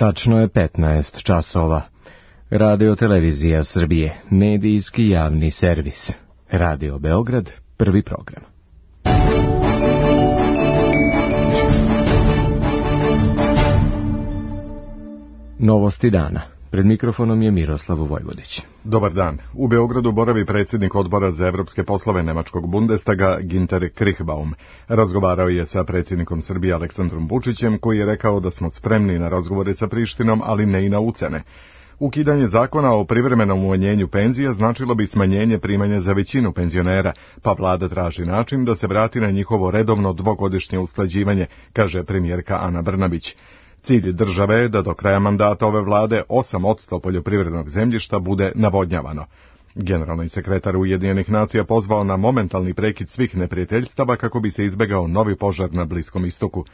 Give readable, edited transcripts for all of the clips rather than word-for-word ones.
Tačno je 15 časova. Radio Televizija Srbije, medijski javni servis. Radio Beograd, prvi program. Novosti dana. Pred mikrofonom je Miroslav Vojvodić. Dobar dan. U Beogradu boravi predsjednik odbora za evropske poslove Nemačkog Bundestaga Ginter Krichbaum. Razgovarao je sa predsjednikom Srbije Aleksandrom Vučićem, koji je rekao da smo spremni na razgovore sa Prištinom, ali ne i na ucene. Ukidanje zakona o privremenom umanjenju penzija značilo bi smanjenje primanja za većinu penzionera, pa vlada traži način da se vrati na njihovo redovno dvogodišnje usklađivanje, kaže premijerka Ana Brnabić. Cilj države je da do kraja mandata ove vlade 8% poljoprivrednog zemljišta bude navodnjavano. Generalni sekretar Ujedinjenih nacija pozvao na momentalni prekid svih neprijateljstava kako bi se izbegao novi požar na Bliskom istoku.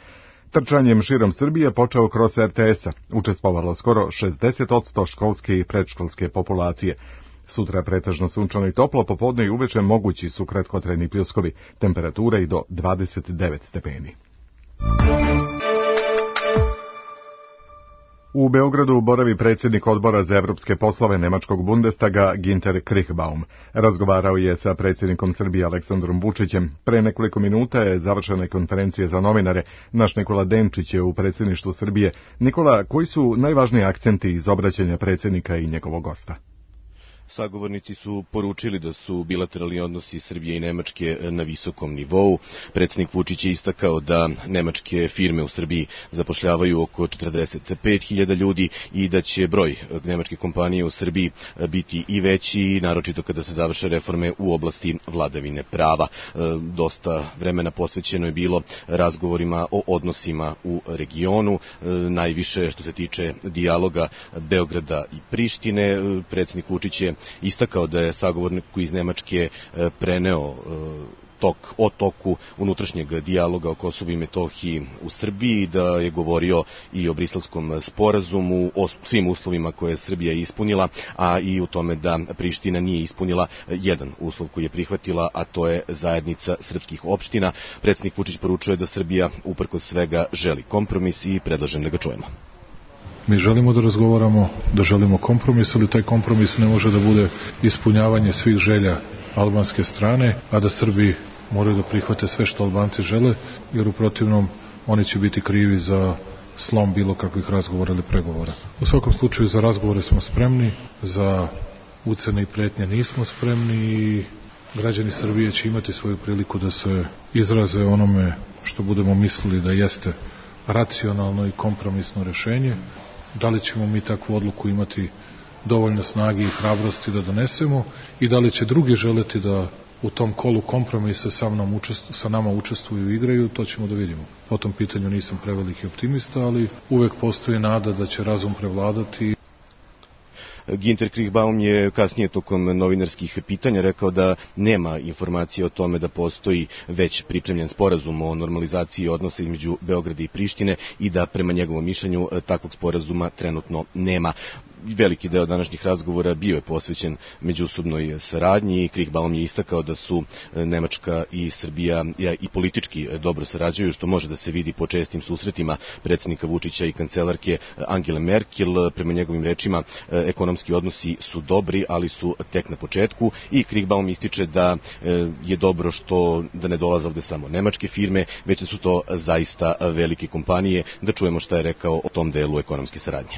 Trčanjem širom Srbije počeo kroz RTS-a. Učestvovalo skoro 60% školske i predškolske populacije. Sutra pretežno sunčano i toplo, popodne i uveče mogući su kratkotrajni pljuskovi, temperatura i do 29 stepeni. U Beogradu boravi predsjednik odbora za evropske poslove Nemačkog Bundestaga Ginter Krichbaum. Razgovarao je sa predsjednikom Srbije Aleksandrom Vučićem. Pre nekoliko minuta je završena konferencija za novinare. Naš Nikola Denčić je u predsjedništvu Srbije. Nikola, koji su najvažniji akcenti iz obraćanja predsjednika i njegovog gosta? Sagovornici su poručili da su bilateralni odnosi Srbije i Nemačke na visokom nivou. Predsjednik Vučić je istakao da nemačke firme u Srbiji zapošljavaju oko 45.000 ljudi i da će broj nemačke kompanije u Srbiji biti i veći, naročito kada se završe reforme u oblasti vladavine prava. Dosta vremena posvećeno je bilo razgovorima o odnosima u regionu, najviše što se tiče dijaloga Beograda i Prištine. Predsjednik Vučić je istakao da je sagovorniku iz Nemačke preneo o toku unutrašnjeg dijaloga o Kosovu i Metohiji u Srbiji, da je govorio i o Briselskom sporazumu, o svim uslovima koje je Srbija ispunila, a i u tome da Priština nije ispunila jedan uslov koji je prihvatila, a to je zajednica srpskih opština. Predsjednik Vučić poručuje da Srbija uprkos svega želi kompromis i predlažem da ga čujemo. Mi želimo da razgovaramo, da želimo kompromis, ali taj kompromis ne može da bude ispunjavanje svih želja albanske strane, a da Srbi moraju da prihvate sve što Albanci žele, jer u protivnom oni će biti krivi za slom bilo kakvih razgovora ili pregovora. U svakom slučaju za razgovore smo spremni, za ucene i pretnje nismo spremni i građani Srbije će imati svoju priliku da se izraze onome što budemo mislili da jeste racionalno i kompromisno rešenje. Da li ćemo mi takvu odluku imati dovoljno snage i hrabrosti da donesemo i da li će drugi želeti da u tom kolu kompromisa sa nama učestvuju i igraju, to ćemo da vidimo. Po tom pitanju nisam preveliki optimista, ali uvek postoji nada da će razum prevladati. Ginter Krichbaum je kasnije tokom novinarskih pitanja rekao da nema informacije o tome da postoji već pripremljen sporazum o normalizaciji odnosa između Beograda i Prištine i da prema njegovom mišljenju takvog sporazuma trenutno nema. Veliki deo današnjih razgovora bio je posvećen međusobnoj saradnji. Krichbaum je istakao da su Nemačka i Srbija i politički dobro sarađuju, što može da se vidi po čestim susretima predsjednika Vučića i kancelarke Angele Merkel. Prema njegovim rečima, ekonomski odnosi su dobri, ali su tek na početku i Krichbaum ističe da je dobro da ne dolaze ovde samo nemačke firme, već da su to zaista velike kompanije. Da čujemo šta je rekao o tom delu ekonomske saradnje.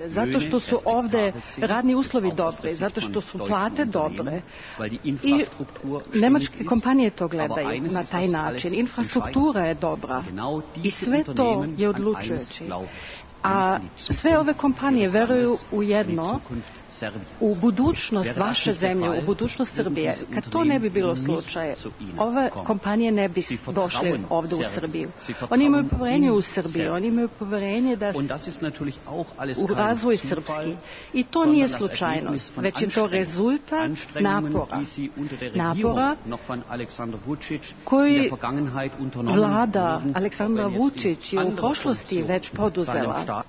Zato što su ovde radni uslovi dobri, zato što su plate dobre i nemačke kompanije to gledaju na taj način. Infrastruktura je dobra i sve to je odlučujući. A sve ove kompanije veruju u jedno, u budućnost vaše zemlje, u budućnost Srbije. Kad to ne bi bilo slučaj, ove kompanije ne bi došle ovde u Srbiju. Oni imaju poverenje u Srbiju, oni imaju poverenje u razvoj srpski. I to nije slučajnost, već je to rezultat napora koji vlada Aleksandra Vučić je u prošlosti već poduzela.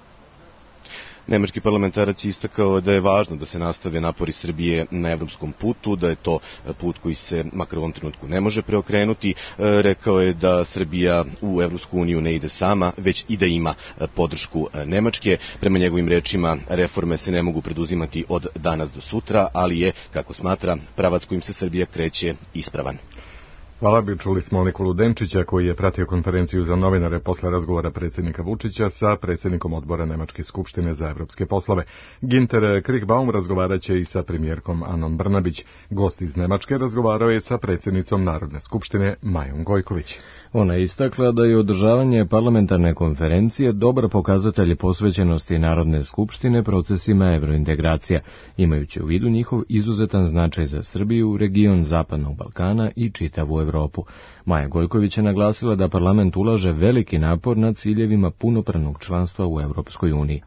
Nemački parlamentarac je istakao da je važno da se nastave napori Srbije na evropskom putu, da je to put koji se makar u ovom trenutku ne može preokrenuti. Rekao je da Srbija u Evropsku uniju ne ide sama, već i da ima podršku Nemačke. Prema njegovim rečima, reforme se ne mogu preduzimati od danas do sutra, ali je, kako smatra, pravac kojim se Srbija kreće ispravan. Hvala bi, čuli smo Nikolu Denčića koji je pratio konferenciju za novinare posle razgovora predsjednika Vučića sa predsjednikom odbora Nemačke skupštine za evropske poslove. Ginter Krichbaum razgovarat će i sa premijerkom Anom Brnabić. Gost iz Nemačke razgovarao je sa predsjednicom Narodne skupštine Majom Gojković. Ona je istakla da je održavanje parlamentarne konferencije dobar pokazatelj posvećenosti Narodne skupštine procesima evrointegracija, imajući u vidu njihov izuzetan značaj za Srbiju, region Zapadnog Balkana i čitavu Evropu. Maja Gojković je naglasila da parlament ulaže veliki napor na ciljevima punopravnog članstva u Evropskoj uniji.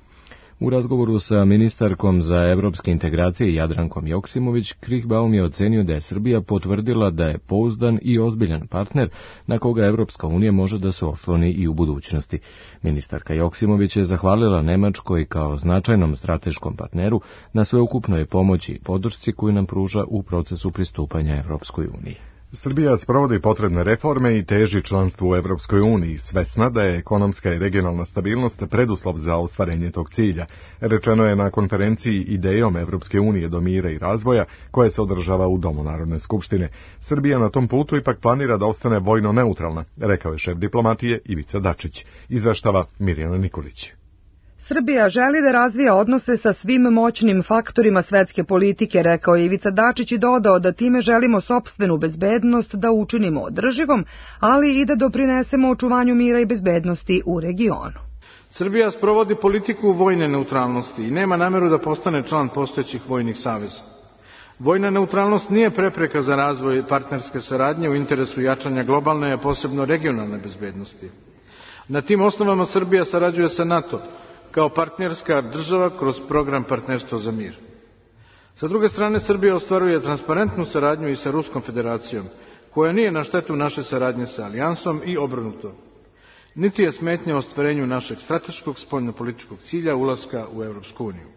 U razgovoru sa ministarkom za evropske integracije Jadrankom Joksimović, Krichbaum je ocenio da je Srbija potvrdila da je pouzdan i ozbiljan partner na koga Evropska unija može da se osloni i u budućnosti. Ministarka Joksimović je zahvalila Nemačkoj kao značajnom strateškom partneru na sveukupnoj pomoći i podršci koju nam pruža u procesu pristupanja Evropskoj uniji. Srbija sprovodi potrebne reforme i teži članstvu u Evropskoj uniji, svesna da je ekonomska i regionalna stabilnost preduslov za ostvarenje tog cilja. Rečeno je na konferenciji Idejom Evropske unije do mira i razvoja, koja se održava u Domu Narodne skupštine. Srbija na tom putu ipak planira da ostane vojno neutralna, rekao je šef diplomatije Ivica Dačić. Izveštava Mirjana Nikolić. Srbija želi da razvija odnose sa svim moćnim faktorima svetske politike, rekao je Ivica Dačić i dodao da time želimo sopstvenu bezbednost da učinimo održivom, ali i da doprinesemo očuvanju mira i bezbednosti u regionu. Srbija sprovodi politiku vojne neutralnosti i nema nameru da postane član postojećih vojnih saveza. Vojna neutralnost nije prepreka za razvoj partnerske saradnje u interesu jačanja globalne, a posebno regionalne bezbednosti. Na tim osnovama Srbija sarađuje sa NATO kao partnerska država kroz program Partnerstvo za mir. Sa druge strane, Srbija ostvaruje transparentnu saradnju i sa Ruskom federacijom, koja nije na štetu naše saradnje sa Alijansom i obrnuto. Niti je smetnja ostvarenju našeg strateškog spoljnopolitičkog cilja ulaska u Evropsku uniju.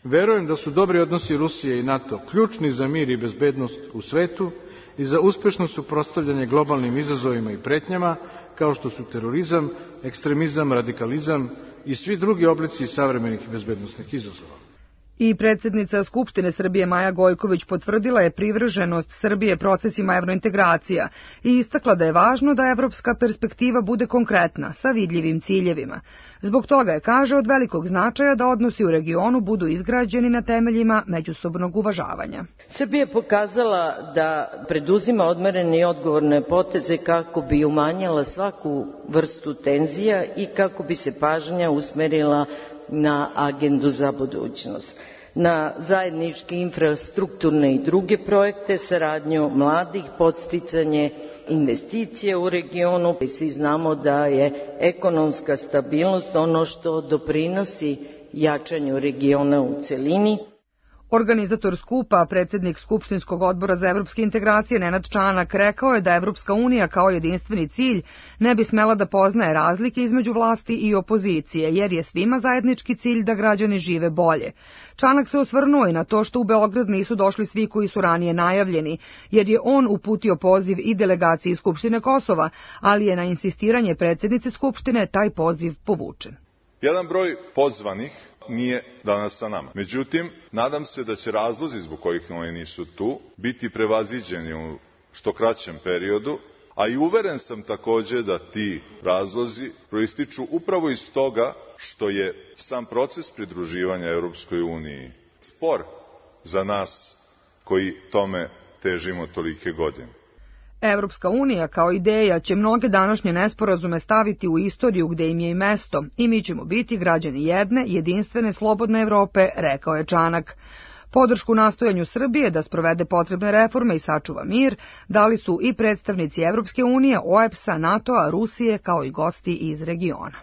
Verujem da su dobri odnosi Rusije i NATO ključni za mir i bezbednost u svetu i za uspešno suprotstavljanje globalnim izazovima i pretnjama, kao što su terorizam, ekstremizam, radikalizam i svi drugi oblici savremenih bezbednosnih izazova. I predsjednica Skupštine Srbije Maja Gojković potvrdila je privrženost Srbije procesima evrointegracija i istakla da je važno da evropska perspektiva bude konkretna, sa vidljivim ciljevima. Zbog toga je, kaže, od velikog značaja da odnosi u regionu budu izgrađeni na temeljima međusobnog uvažavanja. Srbija je pokazala da preduzima odmerene i odgovorne poteze kako bi umanjila svaku vrstu tenzija i kako bi se pažnja usmerila na agendu za budućnost, na zajedničke infrastrukturne i druge projekte, saradnju mladih, podsticanje investicije u regionu. Svi znamo da je ekonomska stabilnost ono što doprinosi jačanju regiona u celini. Organizator skupa, predsjednik Skupštinskog odbora za evropske integracije Nenad Čanak, rekao je da Evropska unija kao jedinstveni cilj ne bi smela da poznaje razlike između vlasti i opozicije, jer je svima zajednički cilj da građani žive bolje. Čanak se osvrnuo i na to što u Beograd nisu došli svi koji su ranije najavljeni, jer je on uputio poziv i delegaciji Skupštine Kosova, ali je na insistiranje predsjednice Skupštine taj poziv povučen. Jedan broj pozvanih nije danas sa nama. Međutim, nadam se da će razlozi zbog kojih oni nisu tu biti prevaziđeni u što kraćem periodu, a i uveren sam takođe da ti razlozi proističu upravo iz toga što je sam proces pridruživanja Europskoj uniji spor za nas koji tome težimo tolike godine. Evropska unija kao ideja će mnoge današnje nesporazume staviti u istoriju gde im je i mesto i mi ćemo biti građani jedne, jedinstvene, slobodne Evrope, rekao je Čanak. Podršku nastojanju Srbije da sprovede potrebne reforme i sačuva mir dali su i predstavnici Evropske unije, OEBS-a, NATO-a, Rusije kao i gosti iz regiona.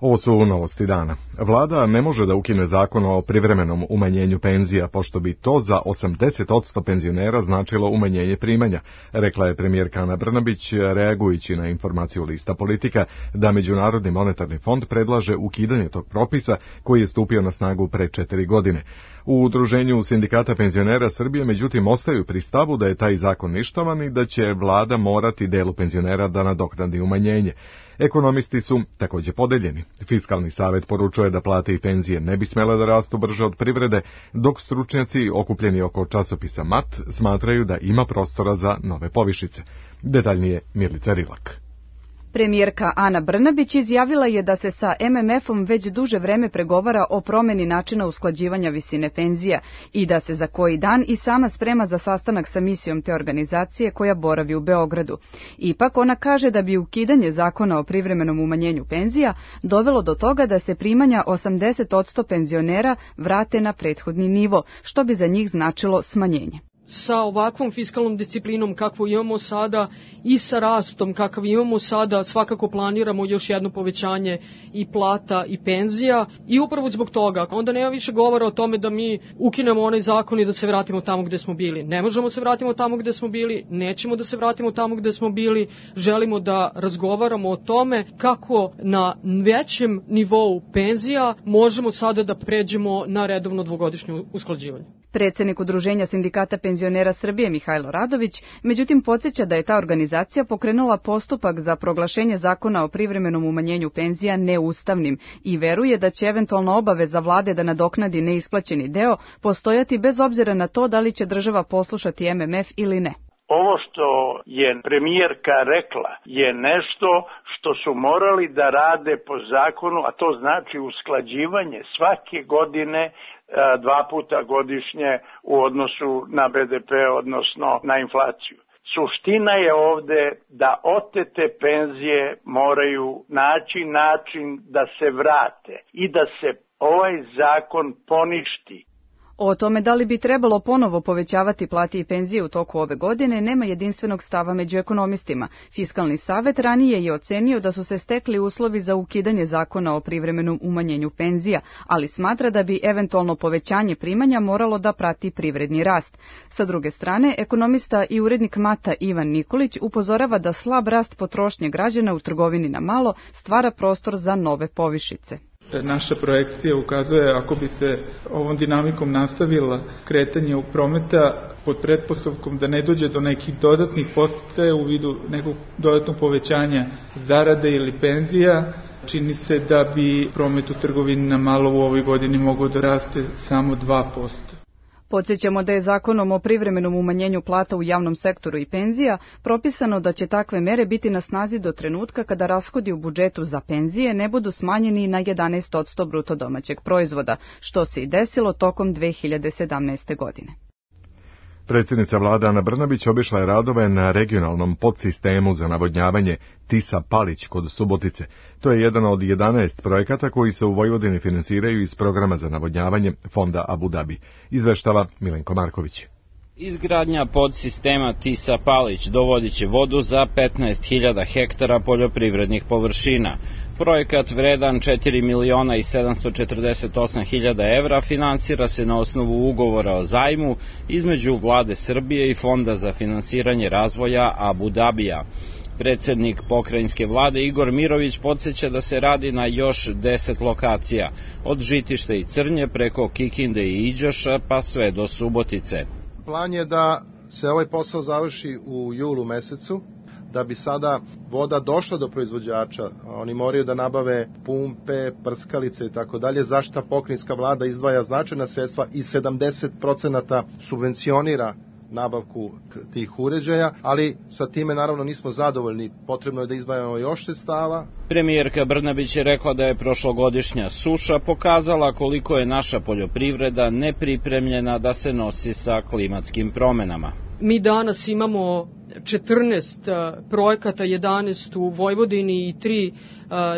Ovo su novosti dana. Vlada ne može da ukine zakon o privremenom umanjenju penzija, pošto bi to za 80% penzionera značilo umanjenje primanja, rekla je premijerka Ana Brnabić, reagujući na informaciju Lista Politika da Međunarodni monetarni fond predlaže ukidanje tog propisa koji je stupio na snagu pre 4 godine. U Udruženju sindikata penzionera Srbije, međutim, ostaju pri stavu da je taj zakon ništavan i da će vlada morati delu penzionera da nadoknadi umanjenje. Ekonomisti su također podeljeni. Fiskalni savet poručuje da plate i penzije ne bi smjele da rastu brže od privrede, dok stručnjaci okupljeni oko časopisa MAT smatraju da ima prostora za nove povišice. Detaljnije Milica Rilak. Premijerka Ana Brnabić izjavila je da se sa MMF-om već duže vreme pregovara o promeni načina usklađivanja visine penzija i da se za koji dan i sama sprema za sastanak sa misijom te organizacije koja boravi u Beogradu. Ipak ona kaže da bi ukidanje zakona o privremenom umanjenju penzija dovelo do toga da se primanja 80% penzionera vrate na prethodni nivo, što bi za njih značilo smanjenje. Sa ovakvom fiskalnom disciplinom kakvu imamo sada i sa rastom kakav imamo sada, svakako planiramo još jedno povećanje i plata i penzija i upravo zbog toga onda nema više govora o tome da mi ukinemo onaj zakon i da se vratimo tamo gde smo bili. Ne možemo se vratimo tamo gde smo bili, nećemo da se vratimo tamo gde smo bili, želimo da razgovaramo o tome kako na većem nivou penzija možemo sada da pređemo na redovno dvogodišnje usklađivanje. Predsednik Udruženja sindikata penzionera Srbije Mihajlo Radović, međutim podsjeća da je ta organizacija pokrenula postupak za proglašenje zakona o privremenom umanjenju penzija neustavnim i veruje da će eventualna obaveza vlade da nadoknadi neisplaćeni deo postojati bez obzira na to da li će država poslušati MMF ili ne. Ovo što je premijerka rekla je nešto što su morali da rade po zakonu, a to znači usklađivanje svake godine 2 puta godišnje u odnosu na BDP, odnosno na inflaciju. Suština je ovde da otete penzije moraju naći način da se vrate i da se ovaj zakon poništi. O tome da li bi trebalo ponovo povećavati plate i penzije u toku ove godine nema jedinstvenog stava među ekonomistima. Fiskalni savet ranije je ocenio da su se stekli uslovi za ukidanje zakona o privremenom umanjenju penzija, ali smatra da bi eventualno povećanje primanja moralo da prati privredni rast. Sa druge strane, ekonomista i urednik MAT-a Ivan Nikolić upozorava da slab rast potrošnje građana u trgovini na malo stvara prostor za nove povišice. Naša projekcija ukazuje ako bi se ovom dinamikom nastavila kretanje u prometa pod pretpostavkom da ne dođe do nekih dodatnih podsticaja u vidu nekog dodatnog povećanja zarade ili penzija, čini se da bi promet u trgovini na malo u ovoj godini mogao da raste samo 2%. Podsjećamo da je zakonom o privremenom umanjenju plata u javnom sektoru i penzija propisano da će takve mere biti na snazi do trenutka kada rashodi u budžetu za penzije ne budu smanjeni na 11% bruto domaćeg proizvoda, što se i desilo tokom 2017. godine. Predsjednica vlade Ana Brnabić obišla je radove na regionalnom podsistemu za navodnjavanje Tisa-Palić kod Subotice. To je jedan od 11 projekata koji se u Vojvodini finansiraju iz programa za navodnjavanje Fonda Abu Dhabi. Izveštava Milenko Marković. Izgradnja podsistema Tisa-Palić dovodit će vodu za 15.000 hektara poljoprivrednih površina. Projekat vredan 4.748.000 evra finansira se na osnovu ugovora o zajmu između Vlade Srbije i Fonda za finansiranje razvoja Abu Dhabija. Predsednik pokrajinske vlade Igor Mirović podsjeća da se radi na još 10 lokacija, od Žitišta i Crnje preko Kikinde i Iđoša pa sve do Subotice. Plan je da se ovaj posao završi u julu mesecu, da bi sada voda došla do proizvođača. Oni moraju da nabave pumpe, prskalice i tako dalje, za šta pokrajinska vlada izdvaja značajna sredstva i 70% subvencionira nabavku tih uređaja, ali sa time naravno nismo zadovoljni, potrebno je da izdvajamo još sredstava. Premijerka Brnabić je rekla da je prošlogodišnja suša pokazala koliko je naša poljoprivreda nepripremljena da se nosi sa klimatskim promenama. Mi danas imamo 14 projekata, 11 u Vojvodini i 3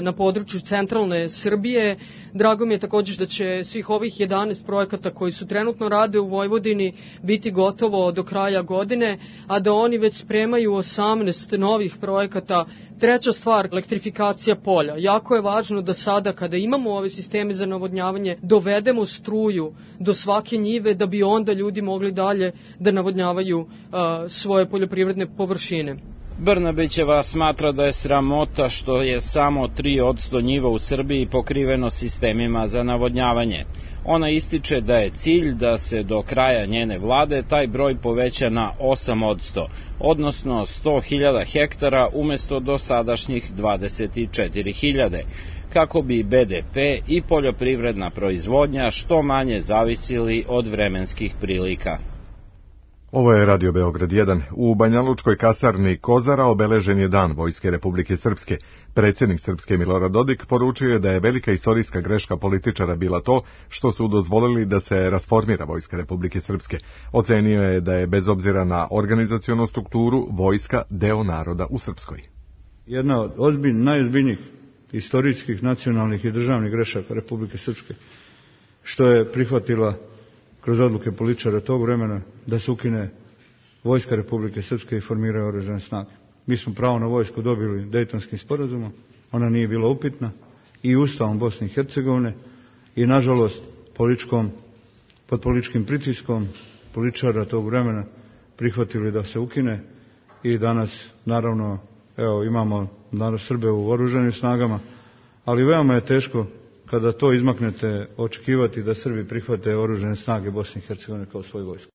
na području centralne Srbije. Drago mi je također da će svih ovih 11 projekata koji su trenutno rade u Vojvodini biti gotovo do kraja godine, a da oni već spremaju 18 novih projekata. Treća stvar, elektrifikacija polja. Jako je važno da sada kada imamo ove sisteme za navodnjavanje dovedemo struju do svake njive da bi onda ljudi mogli dalje da navodnjavaju svoje poljoprivredne površine. Brnabićeva smatra da je sramota što je samo 3% njiva u Srbiji pokriveno sistemima za navodnjavanje. Ona ističe da je cilj da se do kraja njene vlade taj broj poveća na 8%, odnosno 100.000 hektara umesto dosadašnjih 24.000, kako bi BDP i poljoprivredna proizvodnja što manje zavisili od vremenskih prilika. Ovo je Radio Beograd 1. U Banjalučkoj kasarni Kozara obeležen je Dan Vojske Republike Srpske. Predsjednik Srpske Milorad Dodik poručio je da je velika istorijska greška političara bila to što su dozvolili da se rasformira Vojska Republike Srpske. Ocenio je da je bez obzira na organizacionu strukturu vojska deo naroda u Srpskoj. Jedna od najozbiljnijih istorijskih, nacionalnih i državnih grešaka Republike Srpske, što je prihvatila kroz odluke političara tog vremena da se ukine Vojska Republike Srpske i formiraju oružane snage. Mi smo pravo na vojsku dobili Dejtonskim sporazumom, ona nije bila upitna, i Ustavom Bosne i Hercegovine, i nažalost pod političkim pritiskom političara tog vremena prihvatili da se ukine i danas naravno imamo Srbe u oružanim snagama, ali veoma je teško kada to izmaknete očekivati da Srbi prihvate oružane snage Bosne i Hercegovine kao svoju vojsku.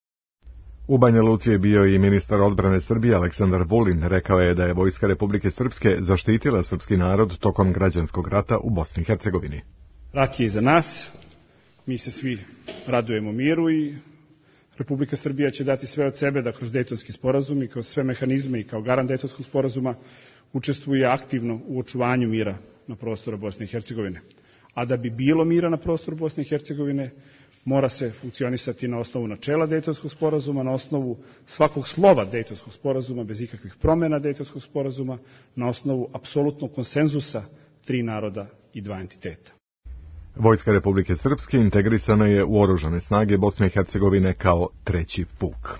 U Banja Luci je bio i ministar odbrane Srbije Aleksandar Vulin. Rekao je da je Vojska Republike Srpske zaštitila srpski narod tokom građanskog rata u Bosni i Hercegovini. Rat je iza nas, mi se svi radujemo miru i Republika Srbija će dati sve od sebe da kroz Dejtonski sporazum i kroz sve mehanizme i kao garant Dejtonskog sporazuma učestvuje aktivno u očuvanju mira na prostoru Bosne i Hercegovine. A da bi bilo mira na prostoru Bosne i Hercegovine, mora se funkcionisati na osnovu načela Dejtonskog sporazuma, na osnovu svakog slova Dejtonskog sporazuma, bez ikakvih promjena Dejtonskog sporazuma, na osnovu apsolutnog konsenzusa 3 naroda i 2 entiteta. Vojska Republike Srpske integrisana je u oružane snage Bosne i Hercegovine kao 3. puk.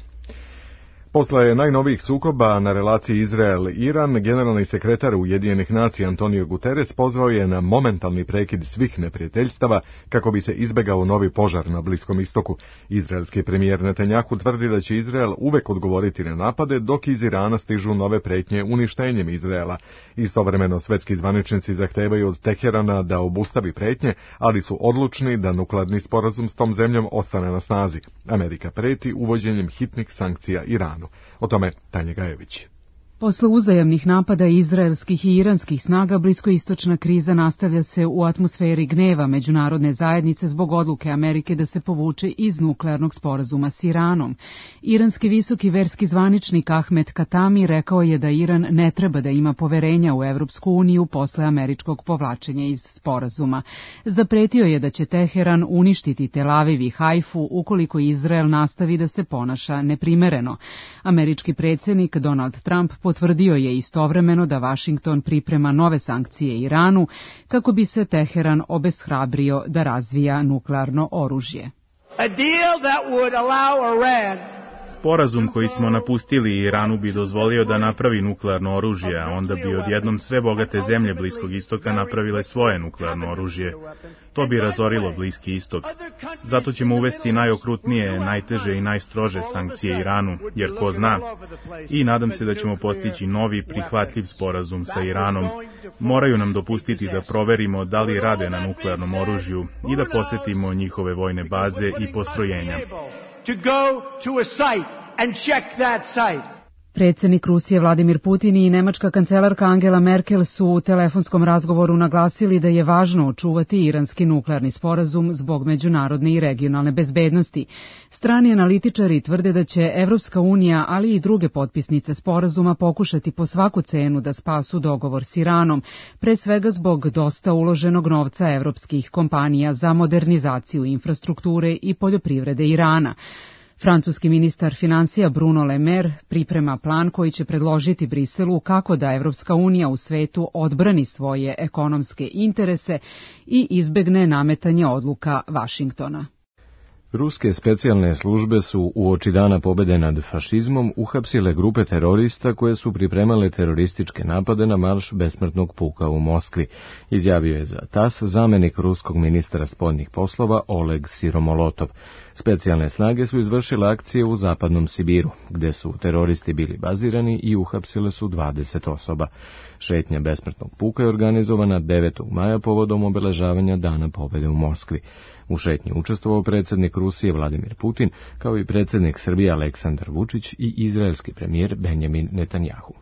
Posle najnovijih sukoba na relaciji Izrael-Iran, generalni sekretar Ujedinjenih nacija Antonio Guterres pozvao je na momentalni prekid svih neprijateljstava kako bi se izbegao novi požar na Bliskom istoku. Izraelski premijer Netanjahu tvrdi da će Izrael uvek odgovoriti na napade dok iz Irana stižu nove pretnje uništenjem Izraela. Istovremeno svetski zvaničnici zahtevaju od Teherana da obustavi pretnje, ali su odlučni da nuklearni sporazum s tom zemljom ostane na snazi. Amerika preti uvođenjem hitnih sankcija Iranu. O tome Tanja Gajević. Posle uzajamnih napada izraelskih i iranskih snaga, bliskoistočna kriza nastavlja se u atmosferi gneva međunarodne zajednice zbog odluke Amerike da se povuče iz nuklearnog sporazuma s Iranom. Iranski visoki verski zvaničnik Ahmed Katami rekao je da Iran ne treba da ima poverenja u Evropsku uniju posle američkog povlačenja iz sporazuma. Zapretio je da će Teheran uništiti Tel Aviv i Hajfu ukoliko Izrael nastavi da se ponaša neprimereno. Američki predsjednik Donald Trump potvrdio je istovremeno da Vašington priprema nove sankcije Iranu kako bi se Teheran obeshrabrio da razvija nuklearno oružje. Sporazum koji smo napustili Iranu bi dozvolio da napravi nuklearno oružje, a onda bi odjednom sve bogate zemlje Bliskog istoka napravile svoje nuklearno oružje. To bi razorilo Bliski istok. Zato ćemo uvesti najokrutnije, najteže i najstrože sankcije Iranu, jer ko zna. I nadam se da ćemo postići novi prihvatljiv sporazum sa Iranom. Moraju nam dopustiti da proverimo da li rade na nuklearnom oružju i da posjetimo njihove vojne baze i postrojenja. To go to a site and check that site. Predsjednik Rusije Vladimir Putin i nemačka kancelarka Angela Merkel su u telefonskom razgovoru naglasili da je važno očuvati iranski nuklearni sporazum zbog međunarodne i regionalne bezbednosti. Strani analitičari tvrde da će Evropska unija, ali i druge potpisnice sporazuma pokušati po svaku cenu da spasu dogovor s Iranom, pre svega zbog dosta uloženog novca evropskih kompanija za modernizaciju infrastrukture i poljoprivrede Irana. Francuski ministar finansija Bruno Le Maire priprema plan koji će predložiti Briselu kako da Evropska unija u svetu odbrani svoje ekonomske interese i izbegne nametanje odluka Vašingtona. Ruske specijalne službe su uoči dana pobede nad fašizmom uhapsile grupe terorista koje su pripremale terorističke napade na marš besmrtnog puka u Moskvi, izjavio je za TASS zamenik ruskog ministra spoljnih poslova Oleg Siromolotov. Specijalne snage su izvršile akcije u zapadnom Sibiru, gde su teroristi bili bazirani i uhapsile su 20 osoba. Šetnja besmrtnog puka je organizovana 9. maja povodom obeležavanja dana pobede u Moskvi. U šetnji učestvovao predsjednik Rusije Vladimir Putin, kao i predsjednik Srbije Aleksandar Vučić i izraelski premijer Benjamin Netanjahu.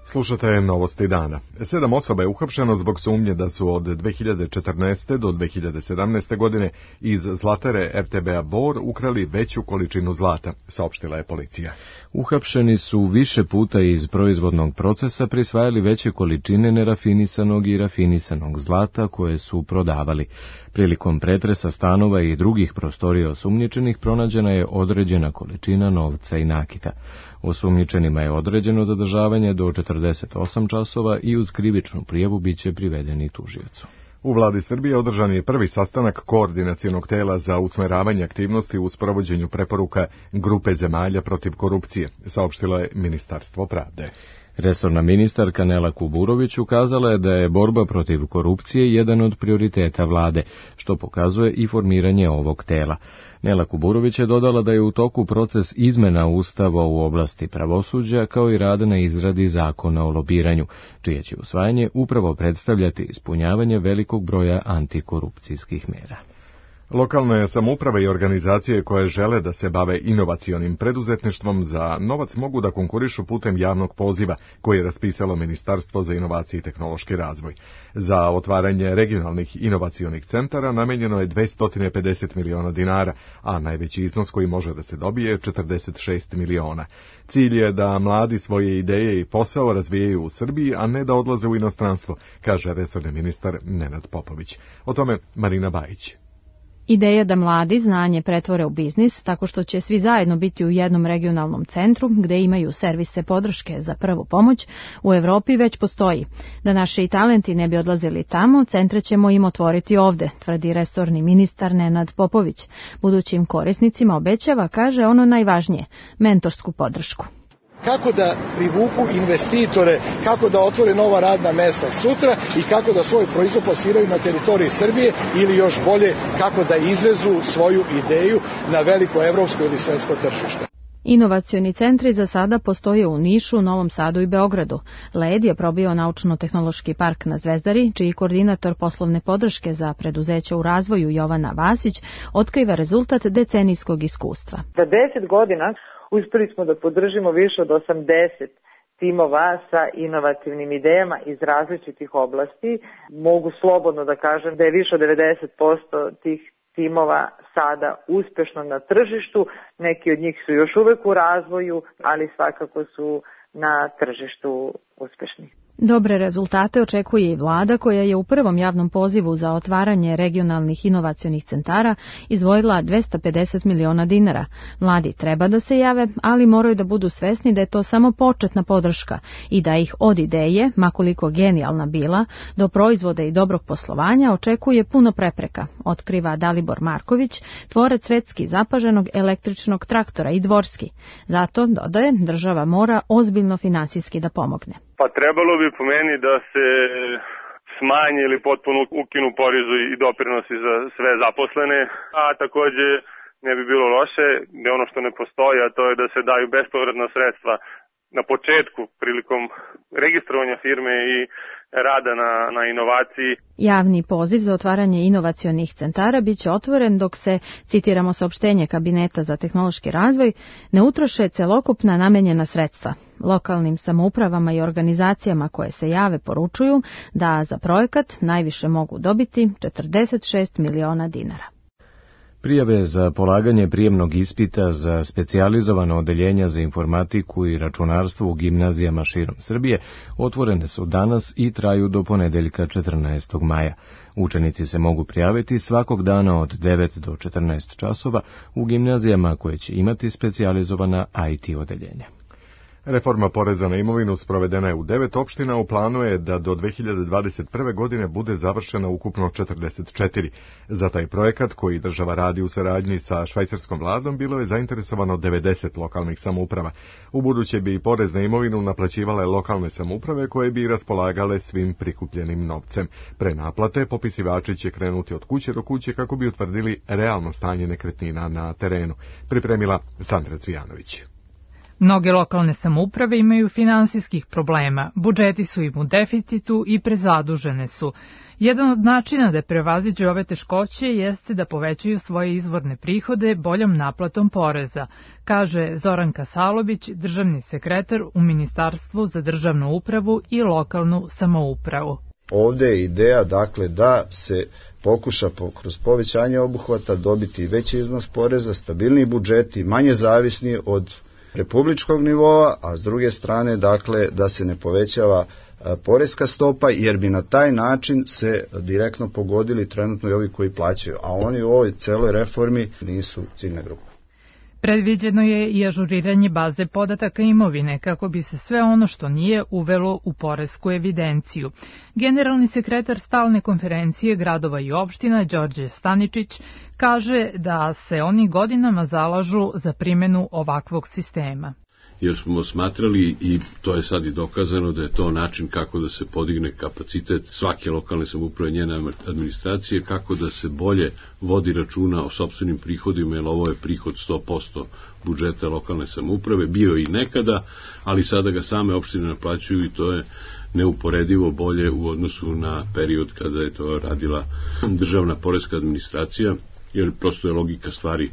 Slušate novosti dana. 7 osoba je uhapšeno zbog sumnje da su od 2014. do 2017. godine iz zlatere RTB-a Bor ukrali veću količinu zlata, saopštila je policija. Uhapšeni su više puta iz proizvodnog procesa prisvajali veće količine nerafinisanog i rafinisanog zlata koje su prodavali. Prilikom pretresa stanova i drugih prostorija osumnjičenih pronađena je određena količina novca i nakita. Osumnjičenima je određeno zadržavanje do 48 časova i uz krivičnu prijavu biće privedeni tužiocu. U vladi Srbije održan je prvi sastanak koordinacionog tela za usmeravanje aktivnosti u sprovođenju preporuka grupe zemalja protiv korupcije, saopštilo je Ministarstvo pravde. Resorna ministarka Nela Kuburović ukazala je da je borba protiv korupcije jedan od prioriteta vlade, što pokazuje i formiranje ovog tela. Nela Kuburović je dodala da je u toku proces izmena Ustava u oblasti pravosuđa, kao i rada na izradi zakona o lobiranju, čije će usvajanje upravo predstavljati ispunjavanje velikog broja antikorupcijskih mera. Lokalne samouprave i organizacije koje žele da se bave inovacionim preduzetništvom za novac mogu da konkurišu putem javnog poziva koje je raspisalo Ministarstvo za inovacije i tehnološki razvoj. Za otvaranje regionalnih inovacionih centara namenjeno je 250 miliona dinara, a najveći iznos koji može da se dobije je 46 miliona. Cilj je da mladi svoje ideje i posao razvijaju u Srbiji, a ne da odlaze u inostranstvo, kaže resorni ministar Nenad Popović. O tome Marina Bajić. Ideja da mladi znanje pretvore u biznis tako što će svi zajedno biti u jednom regionalnom centru gde imaju servise podrške za prvu pomoć u Evropi već postoji. Da naši talenti ne bi odlazili tamo, centre ćemo im otvoriti ovde, tvrdi resorni ministar Nenad Popović. Budućim korisnicima obećava, kaže, ono najvažnije, mentorsku podršku. Kako da privuku investitore, kako da otvore nova radna mesta sutra i kako da svoj proizvod plasiraju na teritoriji Srbije ili još bolje kako da izvezu svoju ideju na veliko evropsko ili svetsko tržište. Inovacioni centri za sada postoje u Nišu, Novom Sadu i Beogradu. LED je probio naučno-tehnološki park na Zvezdari, čiji koordinator poslovne podrške za preduzeća u razvoju Jovana Vasić otkriva rezultat decenijskog iskustva. Za 10 godina uspeli smo da podržimo više od 80 timova sa inovativnim idejama iz različitih oblasti. Mogu slobodno da kažem da je više od 90% tih timova sada uspešno na tržištu. Neki od njih su još uvek u razvoju, ali svakako su na tržištu uspešni. Dobre rezultate očekuje i vlada koja je u prvom javnom pozivu za otvaranje regionalnih inovacionih centara izdvojila 250 miliona dinara. Mladi treba da se jave, ali moraju da budu svesni da je to samo početna podrška i da ih od ideje, makoliko genijalna bila, do proizvoda i dobrog poslovanja očekuje puno prepreka, otkriva Dalibor Marković, tvorac svetski zapaženog električnog traktora i dvorski. Zato, dodaje, država mora ozbiljno finansijski da pomogne. Pa trebalo bi po meni da se smanje ili potpuno ukinu porezi i doprinosi za sve zaposlene, a takođe ne bi bilo loše da ono što ne postoji, a to je da se daju bespovratna sredstva na početku prilikom registrovanja firme i rada na inovaciji. Javni poziv za otvaranje inovacionih centara biće otvoren dok se, citiramo saopštenje Kabineta za tehnološki razvoj, ne utroše celokupna namenjena sredstva. Lokalnim samoupravama i organizacijama koje se jave poručuju da za projekat najviše mogu dobiti 46 miliona dinara. Prijave za polaganje prijemnog ispita za specijalizovano odeljenja za informatiku i računarstvo u gimnazijama širom Srbije otvorene su danas i traju do ponedeljka 14. maja. Učenici se mogu prijaviti svakog dana od 9 do 14 časova u gimnazijama koje će imati specijalizovana IT odeljenja. Reforma poreza na imovinu sprovedena je u 9 opština, u planu je da do 2021. godine bude završena ukupno 44. Za taj projekat, koji država radi u saradnji sa švajcarskom vladom, bilo je zainteresovano 90 lokalnih samouprava. Ubuduće bi porez na imovinu naplaćivale lokalne samouprave koje bi raspolagale svim prikupljenim novcem. Pre naplate, popisivači će krenuti od kuće do kuće kako bi utvrdili realno stanje nekretnina na terenu. Pripremila Sandra Cvijanović. Mnoge lokalne samouprave imaju finansijskih problema, budžeti su im u deficitu i prezadužene su. Jedan od načina da prevaziđu ove teškoće jeste da povećaju svoje izvorne prihode boljom naplatom poreza, kaže Zoran Kasalović, državni sekretar u Ministarstvu za državnu upravu i lokalnu samoupravu. Ovde je ideja, dakle, da se pokuša kroz povećanje obuhvata dobiti veći iznos poreza, stabilniji budžeti, manje zavisni od republičkog nivoa, a s druge strane, dakle, da se ne povećava poreska stopa, jer bi na taj način se direktno pogodili trenutno i ovi koji plaćaju, a oni u ovoj celoj reformi nisu ciljna grupa. Predviđeno je i ažuriranje baze podataka imovine kako bi se sve ono što nije uvelo u poresku evidenciju. Generalni sekretar stalne konferencije gradova i opština Đorđe Staničić kaže da se oni godinama zalažu za primjenu ovakvog sistema. Jer smo smatrali, i to je sad i dokazano, da je to način kako da se podigne kapacitet svake lokalne samouprave, njene administracije, kako da se bolje vodi računa o sopstvenim prihodima, jer ovo je prihod 100% budžeta lokalne samouprave, bio i nekada, ali sada ga same opštine naplaćuju i to je neuporedivo bolje u odnosu na period kada je to radila državna poreska administracija, jer prosto je logika stvari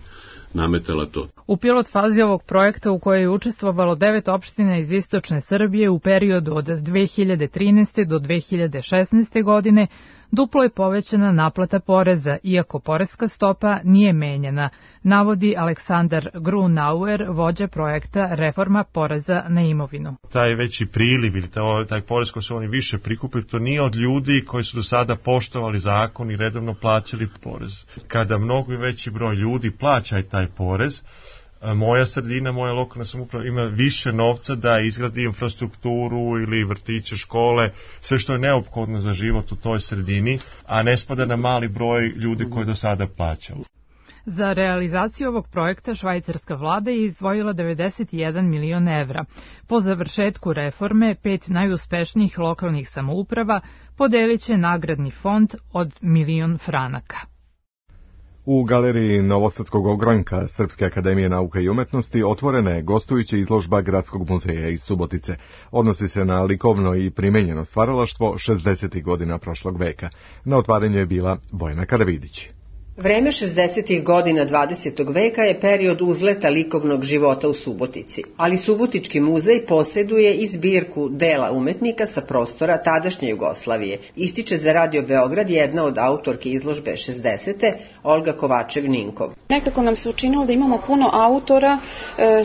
nametala to. U pilot fazi ovog projekta, u kojoj je učestvovalo 9 opština iz istočne Srbije u periodu od 2013. do 2016. godine, duplo je povećana naplata poreza, iako poreska stopa nije menjana, navodi Aleksandar Grunauer, vođa projekta Reforma poreza na imovinu. Taj veći priliv ili taj porez koji su oni više prikupili, to nije od ljudi koji su do sada poštovali zakon i redovno plaćali porez. Kada mnogo veći broj ljudi plaća taj porez, moja sredina, moja lokalna samouprava ima više novca da izgradi infrastrukturu ili vrtiće, škole, sve što je neophodno za život u toj sredini, a ne spada na mali broj ljudi koji do sada plaćaju. Za realizaciju ovog projekta švajcarska vlada je izdvojila 91 milion evra. Po završetku reforme, 5 najuspešnijih lokalnih samouprava podelit će nagradni fond od 1.000.000 franaka. U galeriji Novosadskog ogranka Srpske akademije nauka i umetnosti otvorena je gostujuća izložba Gradskog muzeja iz Subotice. Odnosi se na likovno i primenjeno stvaralaštvo 60. godina prošlog veka. Na otvaranju je bila Bojana Karavidić. Vreme 60. godina 20. veka je period uzleta likovnog života u Subotici, ali Subotički muzej posjeduje i zbirku dela umetnika sa prostora tadašnje Jugoslavije. Ističe za Radio Beograd jedna od autorki izložbe 60. Olga Kovačev-Ninkov. Nekako nam se učinilo da imamo puno autora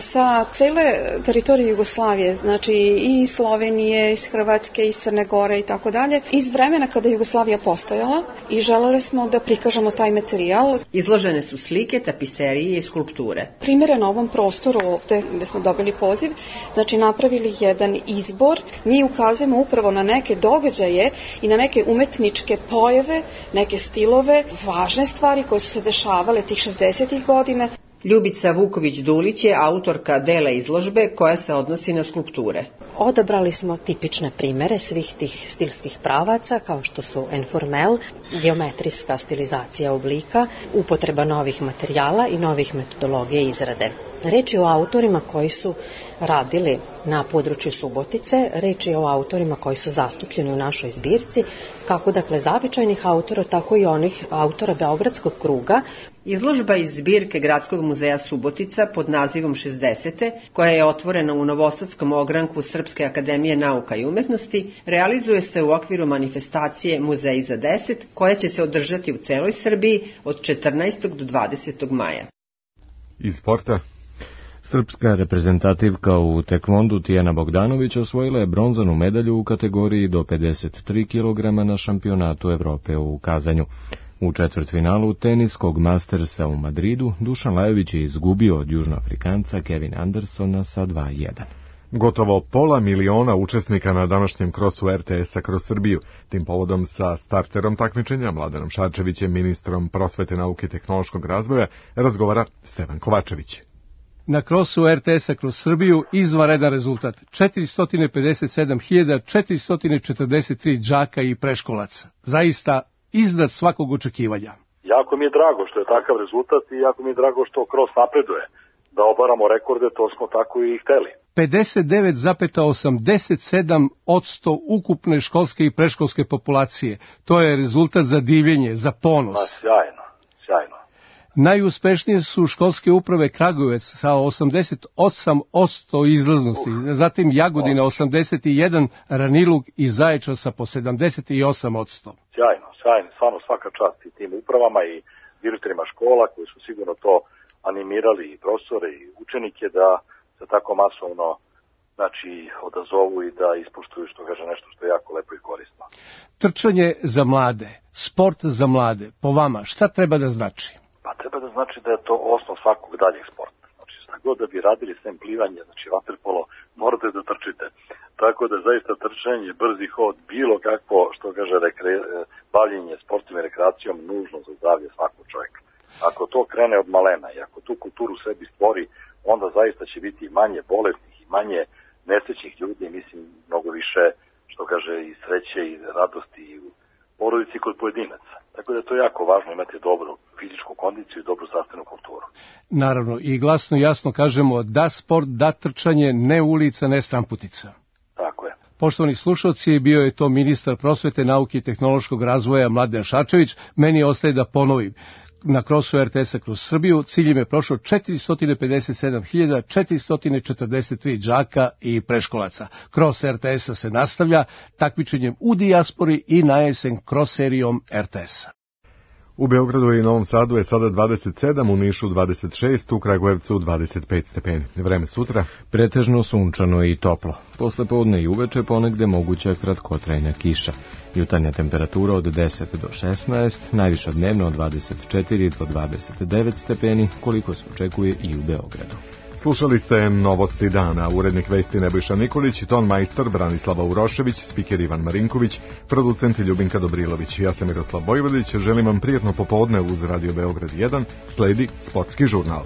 sa cele teritorije Jugoslavije, znači i iz Slovenije, iz Hrvatske, iz Crne Gore i tako dalje, iz vremena kada je Jugoslavija postojala i želeli smo da prikažemo taj materijal. Izložene su slike, tapiserije i skulpture. Primere na ovom prostoru ovde gde smo dobili poziv, znači napravili jedan izbor. Mi ukazujemo upravo na neke događaje i na neke umetničke pojave, neke stilove, važne stvari koje su se dešavale tih 60. godina. Ljubica Vuković-Dulić je autorka dela izložbe koja se odnosi na skulpture. Odabrali smo tipične primere svih tih stilskih pravaca, kao što su enformel, geometrijska stilizacija oblika, upotreba novih materijala i novih metodologija izrade. Reč je o autorima koji su radili na području Subotice, reč je o autorima koji su zastupljeni u našoj zbirci, kako dakle zavičajnih autora, tako i onih autora Beogradskog kruga. Izložba iz zbirke Gradskog muzeja Subotica pod nazivom 60. koja je otvorena u Novosadskom ogranku Srpske akademije nauka i umetnosti, realizuje se u okviru manifestacije Muzeji za 10, koja će se održati u celoj Srbiji od 14. do 20. maja. Iz sporta. Srpska reprezentativka u tekvondu Tijana Bogdanović osvojila je bronzanu medalju u kategoriji do 53 kg na šampionatu Evrope u Kazanju. U četvrtfinalu teniskog Mastersa u Madridu Dušan Lajović je izgubio od Južnoafrikanca Kevin Andersona sa 2:1. Gotovo 500.000 učesnika na današnjem krosu RTS-a kroz Srbiju. Tim povodom sa starterom takmičenja, Mladenom Šarčevićem, ministrom prosvete, nauke i tehnološkog razvoja, razgovara Stevan Kovačević. Na krosu RTS-a kroz Srbiju izvanredan rezultat. 457.443 đaka i preškolaca. Zaista iznad svakog očekivanja. Jako mi je drago što je takav rezultat i jako mi je drago što kros napreduje. Da obaramo rekorde, to smo tako i hteli. 59,87% ukupne školske i preškolske populacije. To je rezultat za divljenje, za ponos. Sjajno, sjajno. Najuspešnije su školske uprave Kragujevac sa 88% izlaznosti, zatim Jagodina 81%, Ranilug i Zaječar sa po 78%. Sjajno, stvarno svaka čast i tim upravama i direktorima škola koji su sigurno to animirali i profesore i učenike da se tako masovno odazovu i da ispoštuju, što kaže, nešto što je jako lepo i korisno. Trčanje za mlade, sport za mlade, po vama šta treba da znači? Pa treba da znači da je to osnov svakog daljeg sporta. Znači, šta god da bi radili sem plivanje, znači vaterpolo, morate da trčite. Tako da zaista trčanje, brzi hod, bilo kakvo, što kaže, bavljenje sportom i rekreacijom nužno za zdravlje svakog čovjeka. Ako to krene od malena i ako tu kulturu sebi stvori, onda zaista će biti manje bolesnih i manje nesrećnih ljudi, mislim, mnogo više, što kaže, i sreće i radosti i u porodici kod pojedinaca. Tako da je to jako važno imati dobru fizičku kondiciju i dobru zdravstvenu kulturu. Naravno, i glasno i jasno kažemo da sport, da trčanje, ne ulica, ne stramputica. Tako je. Poštovani slušalci, bio je to ministar prosvete, nauke i tehnološkog razvoja Mladen Šarčević. Meni ostaje da ponovim. Na krosu RTS-a kroz Srbiju ciljem je prošlo 457.443 đaka i preškolaca. Kros RTS-a se nastavlja takmičenjem u dijaspori i na jesen kros serijom RTS-a. U Beogradu i Novom Sadu je sada 27, u Nišu 26, u Kragujevcu 25 stepeni. Vreme sutra? Pretežno sunčano i toplo. Posle podne i uveče ponegde moguća kratkotrajna kiša. Jutarnja temperatura od 10 do 16, najviša dnevno od 24 do 29 stepeni, koliko se očekuje i u Beogradu. Slušali ste Novosti dana, urednik vesti Nebojša Nikolić, ton majstor Branislava Urošević, spiker Ivan Marinković, producent Ljubinka Dobrilović. Ja sam Miroslav Bojvodić, želim vam prijatno popodne uz Radio Beograd 1, sledi Sportski žurnal.